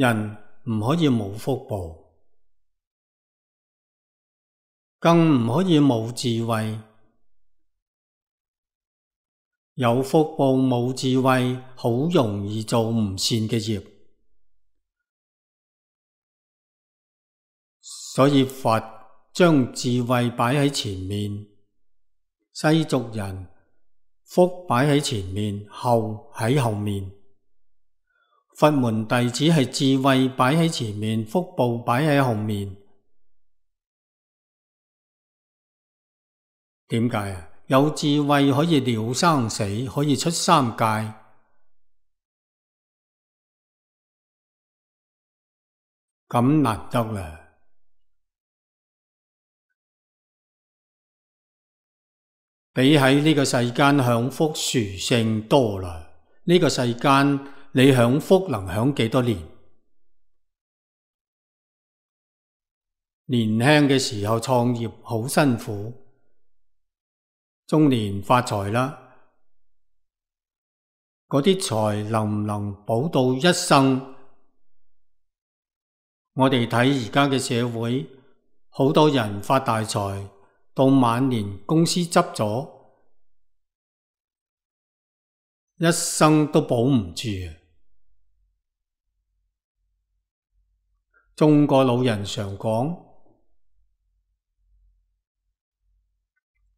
人唔可以冇福報，更唔可以冇智慧。有福報冇智慧，好容易做唔善嘅業。所以佛將智慧擺喺前面，世俗人福擺喺前面，後喺後面。佛門弟子係智慧擺喺前面，福報擺喺後面。點解啊？有智慧可以了生死，可以出三界。咁難得啦！比喺呢個世間享福殊勝多啦。呢個世間你享福能享幾多年？年輕嘅時候創業好辛苦，中年發財啦，嗰啲財能唔能保到一生？我哋睇而家嘅社會，好多人發大財，到晚年公司執咗，一生都保唔住。中國老人常講，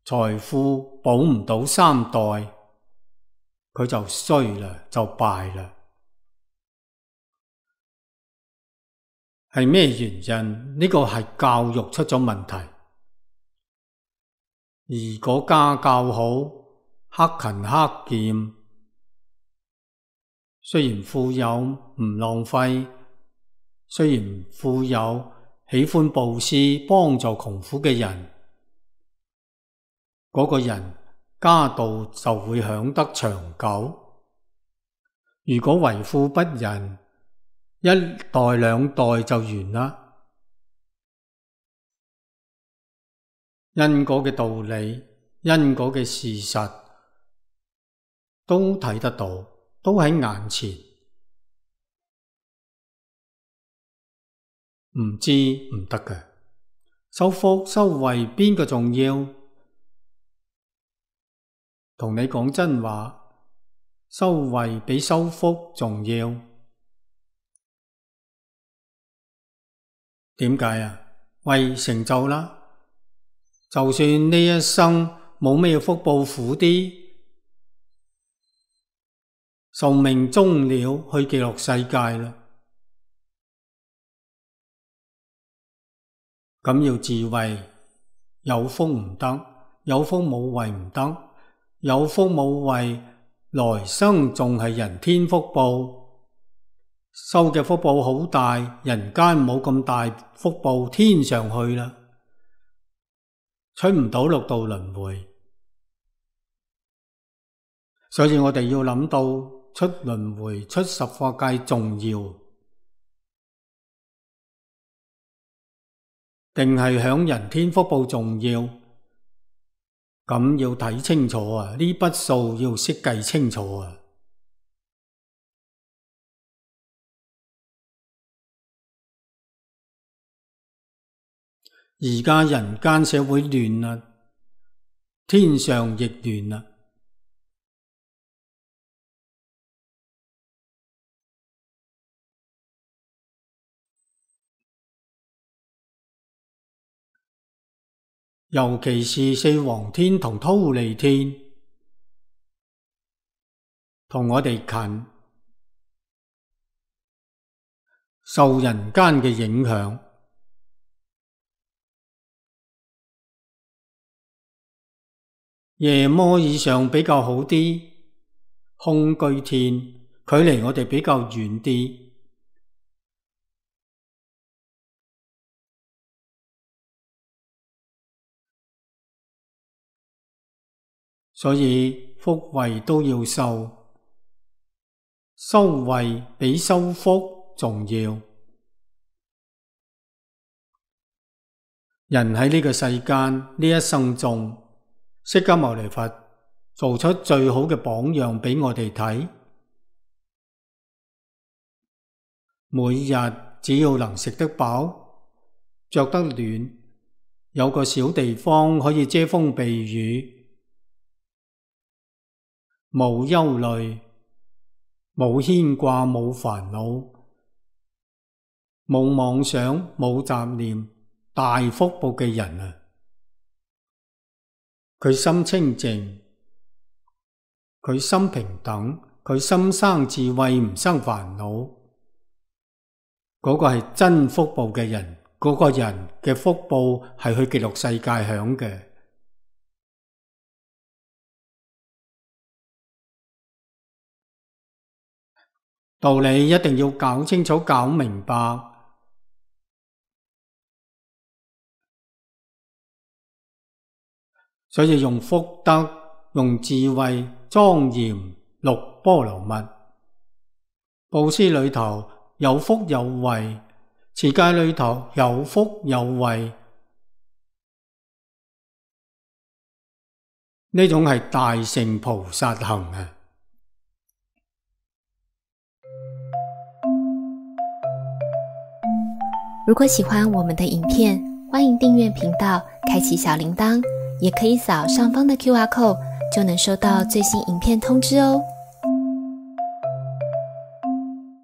財富保唔到三代，佢就衰啦，就敗啦。係咩原因？呢個係教育出咗問題。如果家教好，克勤克儉，雖然富有唔浪費，雖然富有喜歡布施幫助窮苦嘅人，嗰個人家道就會享得長久。如果為富不仁，一代兩代就完啦。因果嘅道理，因果嘅事實都睇得到，都喺眼前。唔知唔得嘅，修福修慧邊個重要？同你講真話，修慧比修福重要。點解啊？慧成就啦。就算呢一生冇咩福報，苦啲，壽命終了，去極樂世界啦。咁要智慧，有福唔得，有福冇慧唔得，有福冇慧，來生仲係人天福報，修嘅福報好大，人間冇咁大福報，天上去啦。出唔到六道輪迴，所以我哋要諗到出輪迴、出十法界重要，定係享人天福報重要？咁要睇清楚啊！呢筆數要識計清楚啊！而家人間社會亂啦，天上亦亂啦。尤其是四皇天同忉利天，同我哋近，受人間嘅影響。夜摩以上比較好啲，空居天距離我哋比較遠啲，所以福慧都要修，修慧比修福重要。人喺呢個世間呢一生中，釋迦牟尼佛做出最好嘅榜樣俾我哋睇，每日只要能食得飽，着得暖，有個小地方可以遮風避雨，冇憂慮，冇牽掛，冇煩惱，冇妄想，冇雜念，大福報嘅人啊！佢心清淨，佢心平等，佢心生智慧，唔生煩惱，嗰個係真福報嘅人，嗰個人嘅福報係去極樂世界享嘅。道理一定要搞清楚、搞明白，所以用福德、用智慧莊嚴六波羅蜜。布施裏頭有福有慧，持戒裏頭有福有慧，呢種係大乘菩薩行啊！如果喜歡我們的影片，歡迎訂閱頻道，開啟小鈴鐺，也可以掃上方的QR code，就能收到最新影片通知哦。